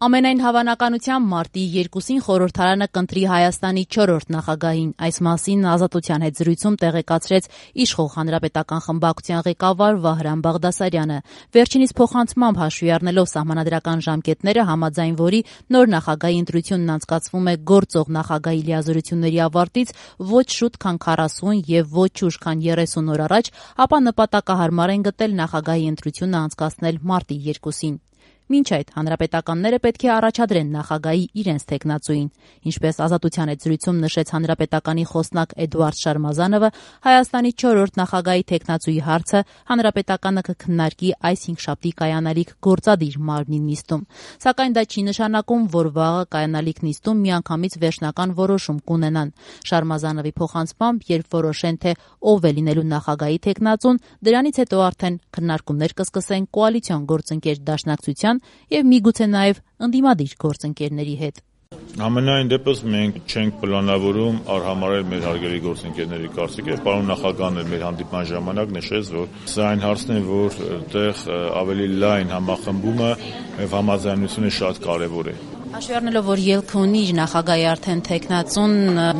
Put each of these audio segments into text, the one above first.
Ամենայն հավանականությամբ մարտի 2-ին խորհրդարանը կընտրի Հայաստանի 4-րդ նախագահին։ Այս մասին Ազատության հետ զրույցում տեղեկացրեց իշխող Հանրապետական խմբակցության ղեկավար Վահրամ Բաղդասարյանը։ Վերջինիս փոխանցմամբ հաշվի առնելով սահմանադրական ժամկետները, համաձայն որի նոր նախագահի ընտրությունն անցկացվում է գործող նախագահի լիազորությունների ավարտից ոչ շուտ, քան 40 եւ ոչ ուշ, քան 30 օր առաջ, ապա նպատակահարմար են գտել նախագահի ընտրությունը անցկացնել մարտի 2-ին։ Մինչ այդ հանրապետականները պետք է առաջադրեն նախագահի իրենց թեկնածուին։ Ինչպես Ազատության հետ զրույցում նշեց հանրապետականի խոսնակ Էդուարդ Շարմազանովը, Հայաստանի 4-րդ նախագահի թեկնածուի հարցը հանրապետականը կքննարկի այս հինգշաբթի կայանալիք գործադիր մարմնի նիստում։ Սակայն դա չի նշանակում, որ վաղը կայանալիք նիստում միանգամից վերջնական որոշում կունենան։ Շարմազանովի փոխանցմամբ, երբ որոշեն, թե ով է լինելու նախագահի թեկնածուն, դրանից հետո արդեն քննարկումներ կսկսեն կոալիցիոն գործընկեր Դաշնակցության եւ միգուցե նաեւ ընդդիմադիր գործընկերների հետ։ Ամենայն դեպս մենք չենք պլանավորում արհամարել մեր հարգելի գործընկերների կարծիքը։ Պարոն նախագահն էլ մեր հանդիպման ժամանակ նշեց, որ սա այն հարցն է, որ այդտեղ ավելի լայն համախմբումը եւ համաձայնությունը շատ կարեւոր է։ Հաշվի առնելով, որ ելքը ունի իր նախագահի արդեն թեկնածուն,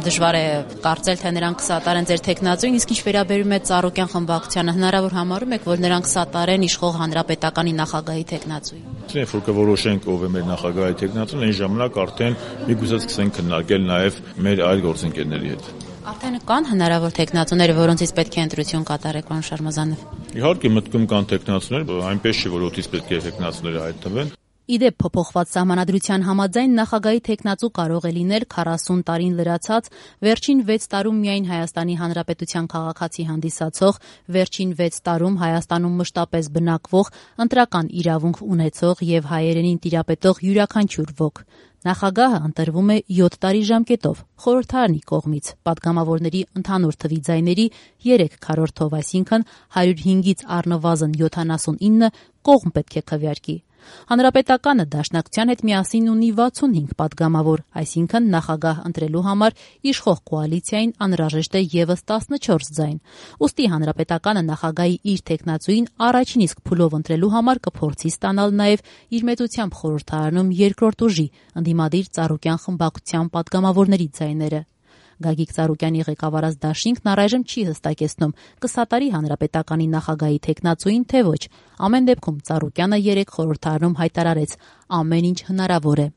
դժվար է կարծել, թե նրանք կսատարեն ձեր թեկնածուին, իսկ ինչ վերաբերում է Ծառուկյան խմբակցությանը, հնարավոր համարում եք, որ նրանք սատարեն իշխող Հանրապետականի նախագահի թեկնածուին։ Երբ որ կորոշենք ով է մեր նախագահի թեկնածուն, այն ժամանակ արդեն միգուցե սկսենք քննարկել նաև մեր այլ գործընկերների հետ։ Արդեն կան հնարավոր թեկնածուներ, որոնցից պետք է ընտրություն կատարեք, պարոն Շարմազանով։ Իհարկե մտքում կան թեկնածուներ, այնպես չէ, որ օդից պետք է թեկնածուները հայտնվեն։ Իդեպ փոփոխված սահմանադրության համաձայն նախագահի թեկնածու կարող է լինել 40 տարին լրացած, վերջին 6 տարում միայն Հայաստանի Հանրապետության քաղաքացի հանդիսացող, վերջին 6 տարում Հայաստանում մշտապես բնակվող, ընտրական իրավունք ունեցող եւ հայերենին տիրապետող յուրաքանչյուր ոք։ Նախագահը ընտրվում է 7 տարի ժամկետով խորհրդարանի կողմից, падգամավորների ընդհանուր թվի ձայների 3/4, այսինքն 105-ից առնվազն 79 կողմ պետք է քվեարկի։ Հանրապետականը Դաշնակցության հետ միասին ունի 65 падգամավոր, այսինքն նախագահ ընտրելու համար իշխող կոալիցիային անհրաժեշտ է ևս 14 ձայն։ Ուստի Հանրապետականը նախագահի իր թեկնածուին առաջին իսկ փուլով ընտրելու համար կփորձի ստանալ նաև իր մեծությամբ խորհրդարանում երկրորդ ուժի ընդդիմադիր Ծառուկյան խմբակցության падգամավորների ձայները։ Գագիկ Ծառուկյանի ղեկավարած դաշինքն առայժմ չի հստակեցնում կսատարի Հանրապետականի նախագահի թեկնածուին, թե ոչ։ Ամեն դեպքում Ծառուկյանը 3 խորհրդարանում հայտարարեց. ամեն ինչ հնարավոր է։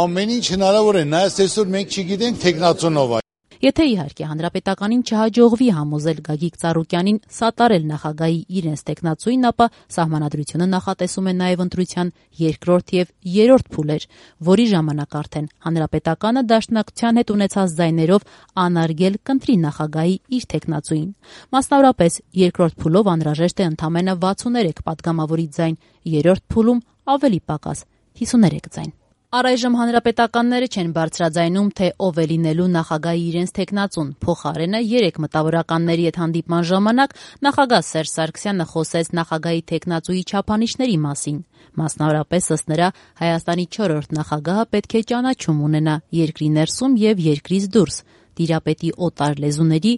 Ամեն ինչ հնարավոր է, նայած այսօր մենք չգիտենք թեկնածունով։ Եթե իհարկե Հանրապետականին չհաջողվի համոզել Գագիկ Ծառուկյանին սատարել նախագահի իրենց թեկնածուին, ապա սահմանադրությունը նախատեսում է նաև ընտրության երկրորդ եւ երրորդ փուլեր, որի ժամանակ արդեն Հանրապետականը Դաշնակցության հետ ունեցած ձայներով անարգել կընտրի նախագահի իր թեկնածուին։ Մասնավորապես, երկրորդ փուլով անհրաժեշտ է ընդամենը 63 падգամավորի ձայն, երրորդ փուլում ավելի պակաս 53 ձայն։ Առայժմ հանրապետականները չեն բարձրաձայնում, թե ով է լինելու նախագահի իրենց թեկնածուն։ Փոխարենը 3 մտավորականների հետ հանդիպման ժամանակ նախագահ Սերժ Սարգսյանը խոսեց նախագահի թեկնածուի չափանիշների մասին։ Մասնավորապես ըստ նրա Հայաստանի 4-րդ նախագահը պետք է ճանաչում ունենա երկրի ներսում եւ երկրից դուրս, տիրապետի օտար լեզուների,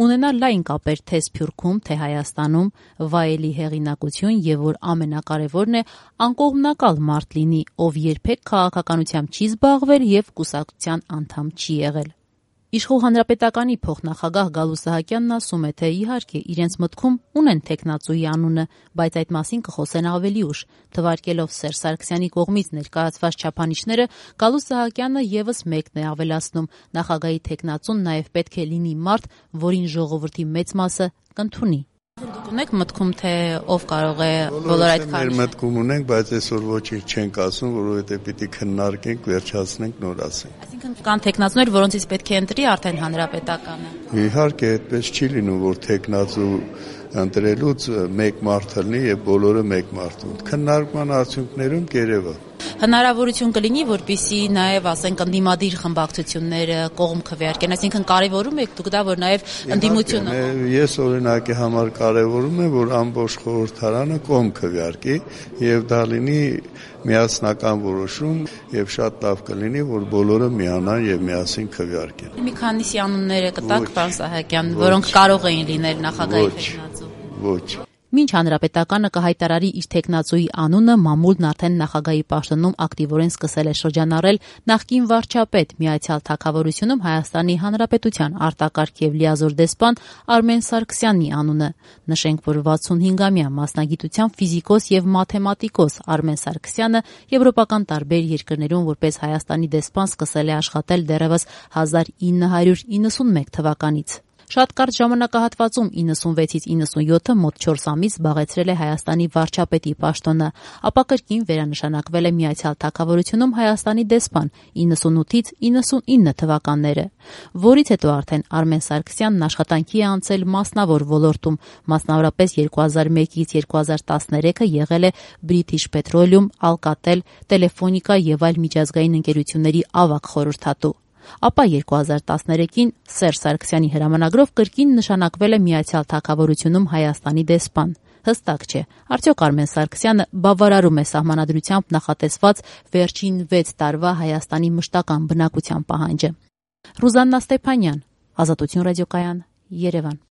ունենա լայն կապեր թե Սփյուռքում, թե Հայաստանում, վայելի հեղինակություն եւ որ ամենակարևորն է անկողմնակալ մարդ լինի, ով երբեք քաղաքականությամբ չի զբաղվել եւ կուսակցության անդամ չի եղել։ Իշխող Հանրապետականի փոխնախագահ Գալու Սահակյանն ասում է, թե իհարկե իրենց մտքում ունեն թեկնածուի անունը, բայց այդ մասին կխոսեն ավելի ուշ։ Թվարկելով Սերժ Սարգսյանի կողմից ներկայացված չափանիշները, Գալու Սահակյանը եւս մեկն է ավելացնում. նախագահի թեկնածուն նաեւ պետք է լինի մարդ, որին ժողովրդի մեծ մասը կընդունի։ Դուք ունեք մտքում, թե ով կարող է բոլոր այդ քարոզները։ Մեր մտքում ունենք, բայց այսօր ոչինչ չենք ասում, որովհետեւ պիտի քննարկենք, վերջացնենք, նոր ասենք։ Այսինքն կան թեկնածուներ, որոնցից պետք է ընտրի արդեն Հանրապետականը։ Իհարկե, այդպես չի լինում, որ թեկնածու ընտրելուց մեկ մարդ լինի եւ բոլորը մեկ մարդ։ Քննարկման արդյունքներում կերևա։ Հնարավորություն կլինի, որպեսզի նաև, ասենք, ընդդիմադիր խմբակցությունները կողմ քվեարկեն, այսինքն կարևորում եք դուք դա, որ նաև ընդդիմությունը։ Ես օրինակի համար կարևորում եմ, որ ամբողջ խորհրդարանը կողմ քվեարկի եւ դա լինի միասնական որոշում եւ շատ լավ կլինի, որ բոլորը միանան եւ միասին քվեարկեն։ Մի քանիսի անունները կտակ, պարոն Սահակյան, որոնք կարող էին լինել նախագահի թեկնածու։ Ոչ։ Մինչ հանրապետականը կհայտարարի իր թեկնածուի անունը, մամուլն արդեն նախագահի պաշտոնում ակտիվորեն սկսել է շրջանառել նախկին վարչապետ Միացյալ Թագավորությունում Հայաստանի Հանրապետության արտակարգ եւ լիազոր դեսպան Արմեն Սարգսյանի անունը։ Նշենք, որ 65-ամյա մասնագիտությամբ ֆիզիկոս եւ մաթեմատիկոս Արմեն Սարգսյանը եվրոպական տարբեր երկրներում որպես Հայաստանի դեսպան սկսել է աշխատել դեռևս 1991 թվականից։ Շատ կարճ ժամանակահատվածում 96-ից 97-ը մոտ 4 ամիս զբաղեցրել է Հայաստանի վարչապետի պաշտոնը, ապա կրկին վերանշանակվել է Միացյալ Թագավորությունում Հայաստանի դեսպան 98-ից 99 թվականները, որից հետո արդեն Արմեն Սարգսյանն աշխատանքի է անցել մասնավոր ոլորտում, մասնավորապես 2001-ից 2013-ը եղել է British Petroleum, Alcatel, Telefónica եւ այլ միջազգային ընկերությունների ավագ խորհրդատու։ Ապա 2013-ին Սերժ Սարգսյանի հրամանագրով կրկին նշանակվել է Միացյալ Թագավորությունում Հայաստանի դեսպան։ Հստակ չէ, արդյոք Արմեն Սարգսյանը բավարարում է սահմանադրությամբ նախատեսված վերջին 6 տարվա Հայաստանի մշտական բնակության պահանջը։ Ռուզաննա Ստեփանյան, Ազատություն ռադիոկայան, Երևան։